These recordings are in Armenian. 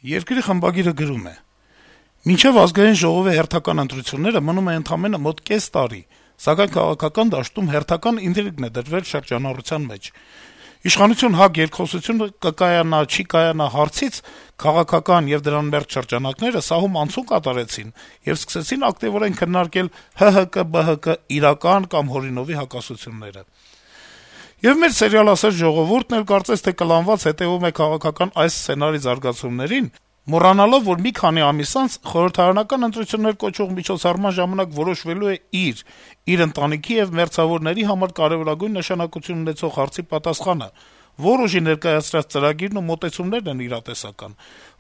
Երկրի խմբագիրը գրում է. - «Մինչեւ ազգային ժողովի հերթական ընտրությունները մնում է ընդամենը մոտ կես տարի, սակայն քաղաքական դաշտում հերթական ինտրիգն է դրվել շրջանառության մեջ: Իշխանություն-ՀԱԿ երկխոսությունը կկայանա, չի կայանա հարցից քաղաքական եւ դրան մերձ շրջանակները սահում անցում կատարեցին եւ սկսեցին ակտիվորեն քննարկել ՀՀԿ-ԲՀԿ իրական կամ հորինովի հակասությունները: Եվ մեր սերիալասեր ժողովուրդն էլ կարծես թե կլանված հետեւում է քաղաքական այս սցենարի զարգացումներին, մոռանալով, որ մի քանի ամիս անց խորհրդարանական ընտրություններ կոչվող միջոցառման ժամանակ որոշվելու է իր ընտանիքի եւ մերձավորների համար կարեւորագույն նշանակություն ունեցող հարցի պատասխանը, որ ուժի ներկայացրած ծրագիրն ու մոտեցումներն են իրատեսական,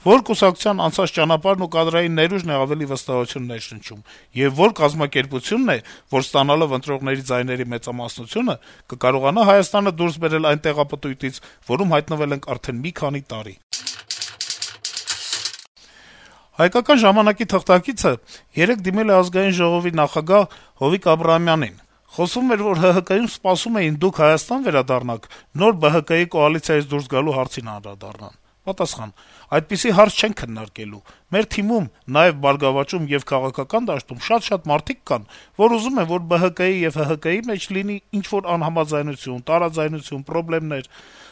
որ կուսակցության անցած ճանապարհն ու կադրային ներուժն է ավելի վստահություն ներշնչում, եւ որ կազմակերպությունն է, որ ստանալով ընտրողների ձայների մեծամասնությունը կկարողանա Հայաստանը դուրս բերել այն տեղապտույտից, որում հայտնվել ենք արդեն մի քանի տարի»: «Հայկական ժամանակ»-ի թղթակիցը երեկ դիմել է Ազգային ժողովի նախագահ Հովիկ Աբրահամյանին: Խոսվում էր, որ ՀՀԿ-ում սպասում էին դուք Հայաստան վերադառնաք, նոր ԲՀԿ-ի կոալիցիայից դուրս գալու հարցին անդրադառնան: Պատասխան. - «Այդպիսի հարց չենք քննարկելու: Մեր թիմում, նաեւ «Բարգավաճում» եւ քաղաքական դաշտում շատ մարդիկ կան, որ ուզում են, որ ԲՀԿ-ի եւ ՀՀԿ-ի մեջ լինի ինչ-որ անհամաձայնություն, տարաձայնություն, պրոբլեմներ: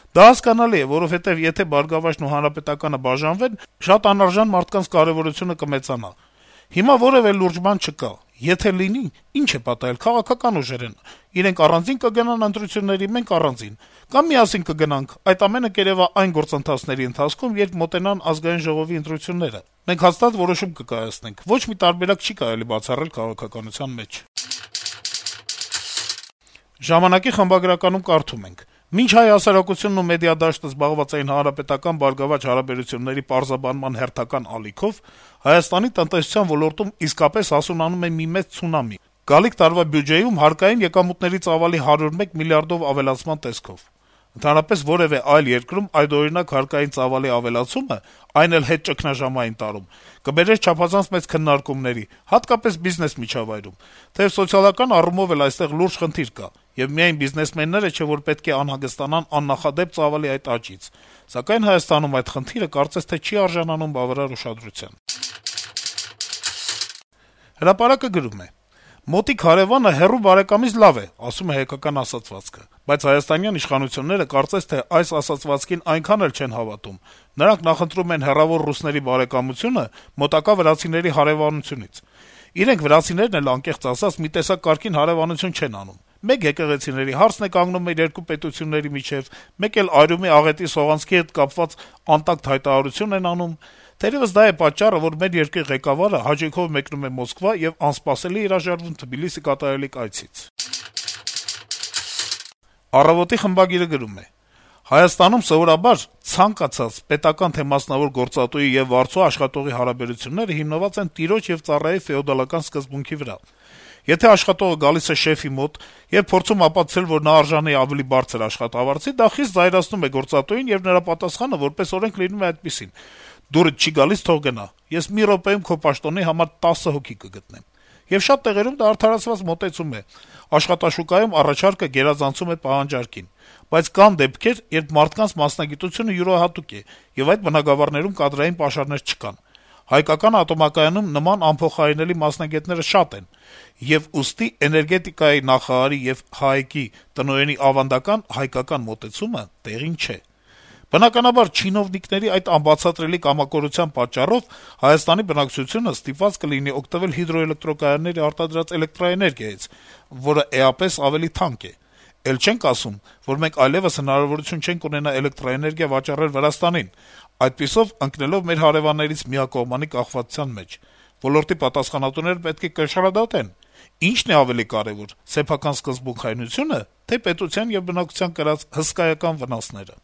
Դա հասկանալի է, որովհետեւ եթե «Բարգավաճն» ու «Հանրապետականը» բաժանվեն, շատ անարժան մարդկանց կարեւորությունը կմեծանա: Հիմա որեւէ լուրջ բան չկա: Եթե լինի, ի՞նչ է պատահել, քաղաքական ուժեր են: Իրենք առանձին կգնան ընտրությունների, մենք առանձին: Կամ միասին կգնանք: Այդ ամենը կերեւա այն գործընթացների ընթացքում, երբ մոտենան Ազգային ժողովի ընտրությունները: Մենք հաստատ որոշում կկայացնենք: Ոչ մի տարբերակ չի կարելի բացառել քաղաքականության մեջ»: «Ժամանակ»-ի խմբագրականում կարդում ենք. - «Մինչ հայ հասարակությունն ու մեդիադաշտը զբաղված էին հանրապետական-բարգավաճ հարաբերությունների պարզաբանման հերթական ալիքով, Հայաստանի տնտեսության ոլորտում իսկապես հասունանում է մի մեծ ցունամի` գալիք տարվա բյուջեում հարկային եկամուտների ծավալի 101 միլիարդով ավելացման տեսքով: Ընդհանրապես որեւէ այլ երկրում այդօրինակ հարկային ծավալի ավելացումը, այն էլ հետճգնաժամային տարում, կբերեր չափազանց մեծ քննարկումների, հատկապես բիզնես միջավայրում: Թեեւ սոցիալական առումով էլ այստեղ լուրջ խնդիր կա, եւ միայն բիզնեսմենները չէ, որ պետք է անհանգստանան աննախադեպ ծավալի այդ աճից: Սակայն Հայաստանում այդ խնդիրը կարծես թե չի արժանանում բավարար ուշադրության»: «Հրապարակ»-ը գրում է. - «Մոտիկ հարեւանը հեռու բարեկամից լավ է, ասում է հայկական ասացվածքը: Բայց հայաստանյան իշխանությունները կարծես թե այս ասացվածքին այնքան էլ չեն հավատում: Նրանք նախընտրում են հեռավոր ռուսների բարեկամությունը մոտակա վրացիների հարեւանությունից: Իրենք, վրացիներն էլ, անկեղծ ասած, մի տեսակ կարգին հարեւանություն չեն անում: Մեկ եկեղեցիների հարցն է կանգնում մեր երկու պետությունների միջեւ, մեկ էլ Արյունի աղետի սողանցքի հետ կապված անտակտ հայտարարություն են անում: Թերեւս դա է պատճառը, որ մեր երկրի ղեկավարը հաճույքով մեկնում է Մոսկվա եւ անսպասելի է հրաժարվում Թբիլիսի կատարելիք այցից»: «Առավոտ»-ի խմբագիրը գրում է. - «Հայաստանում սովորաբար ցանկացած պետական թե մասնավոր գործատուի եւ վարձու աշխատողի հարաբերությունները հիմնված են տիրոջ եւ ծառայի ֆեոդալական սկզբունքի վրա: Եթե աշխատողը գալիս է շեֆի մոտ եւ փորձում ապացուցել, որ նա արժանի է ավելի բարձր աշխատավարձի, դա խիստ զայրացնում է գործատուին, եւ նրա պատասխանը որպես օրենք լինում է այդպիսին. «Դուրդ չի գալիս, թող գնա: Ես մի րոպեում քո պաշտոնի համար 10 հոգի կգտնեմ»: Եվ շատ տեղերում դա արդարացված մոտեցում է. աշխատաշուկայում առաջարկը գերազանցում է պահանջարկին: Բայց կան դեպքեր, երբ մարդկանց մասնագիտությունը յուրահատուկ է, եւ այդ բնագավառներում կադրային պաշարներ չկան: Հայկական ատոմակայանում նման անփոխարինելի մասնագետները շատ են, եւ ուստի էներգետիկայի նախարարի եւ ՀԱԷԿ-ի տնօրենի ավանդական հայկական մոտեցումը տեղին չէ: Բնականաբար, չինովնիկների այդ անբացատրելի կամակորության պատճառով Հայաստանի բնակչությունը ստիպված կլինի օգտվել հիդրոէլեկտրակայանների արտադրած էլեկտրաէներգիայից, որը էապես ավելի թանկ է: Էլ չենք ասում, որ մենք այլեւս հնարավորություն չենք ունենա էլեկտրաէներգիա վաճառել Վրաստանին, այդպիսով ընկնելով մեր հարեւաններից միակողմանի կախվածության մեջ: Ոլորտի պատասխանատուները պետք է կշռադատեն. ի՞նչն է ավելի կարեւոր` սեփական սկզբունքայնությո՞ւնը, թե՞ պետության եւ բնակչության կրած հսկայական վնասները»: